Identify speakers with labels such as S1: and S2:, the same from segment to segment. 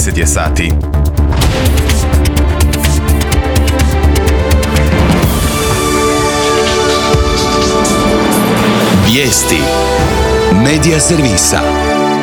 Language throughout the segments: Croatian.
S1: 10 je sati.
S2: Vijesti Medija servisa.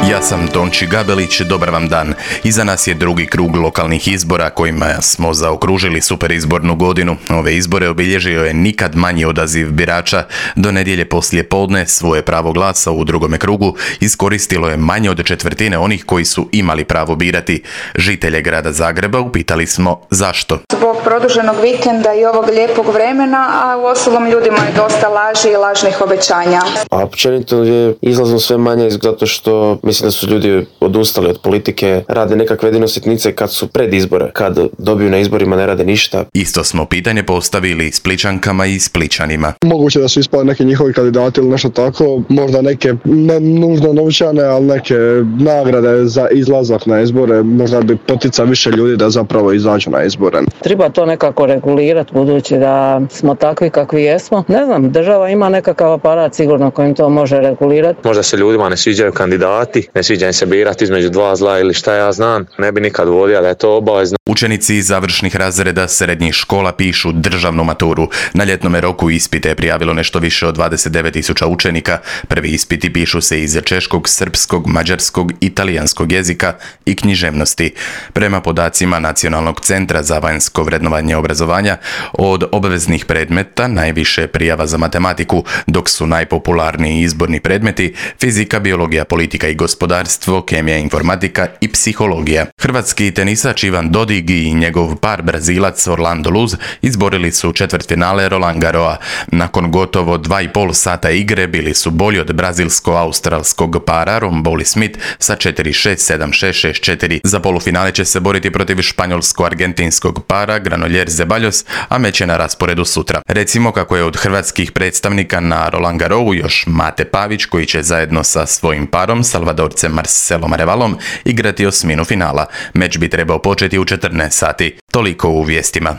S1: Ja sam Tonči Gabelić, dobar vam dan. Iza nas je drugi krug lokalnih izbora kojima smo zaokružili superizbornu godinu. Ove izbore obilježio je nikad manji odaziv birača. Do nedjelje poslije podne svoje pravo glasa u drugome krugu iskoristilo je manje od četvrtine onih koji su imali pravo birati. Žitelje grada Zagreba upitali smo zašto.
S3: Zbog produženog vikenda i ovog lijepog vremena, a u ostalom ljudima je dosta laži i lažnih obećanja.
S4: A općenito je izlazno sve manje zato što mislim da su ljudi odustali od politike, rade nekakve jedino sitnice kad su pred izbore. Kad dobiju na izborima ne rade ništa.
S1: Isto smo pitanje postavili Splićankama i Splićanima.
S5: Moguće da su ispali neki njihovi kandidati ili nešto tako, možda neke ne nužno novčane, ali neke nagrade za izlazak na izbore, možda bi potica više ljudi da zapravo izađu na izbore.
S6: Treba to nekako regulirati budući da smo takvi kakvi jesmo. Ne znam, država ima nekakav aparat sigurno kojim to može regulirati.
S7: Možda se ljudima ne sviđaju kandidati, ne sviđa im se birati između dva zla ili šta ja znam, ne bi nikad uvodio da je to obavezno.
S1: Učenici završnih razreda srednjih škola pišu državnu maturu. Na ljetnome roku ispite je prijavilo nešto više od 29.000 učenika. Prvi ispiti pišu se iz češkog, srpskog, mađarskog i talijanskog jezika i književnosti. Prema podacima Nacionalnog centra za vanjsko vrednovanje obrazovanja, od obveznih predmeta najviše prijava za matematiku, dok su najpopularniji izborni predmeti fizika, biologija, politika i gospodarstvo, kemija, informatika i psihologija. Hrvatski tenisač Ivan Dodig i njegov par Brazilac Orlando Luz izborili su četvrtfinale Roland Garrosa. Nakon gotovo 2,5 sata igre bili su bolji od brazilsko-australskog para Romboli Smith sa 4-6, 7-6, 6-4. Za polufinale će se boriti protiv španjolsko-argentinskog para Granollers Zeballos, a meč je na rasporedu sutra. Recimo kako je od hrvatskih predstavnika na Roland Garrosu još Mate Pavić, koji će zajedno sa svojim parom Salvadorcem Marcelom Arevalom igrati osminu finala. Meč bi trebao početi u 14 sati. Toliko u vijestima.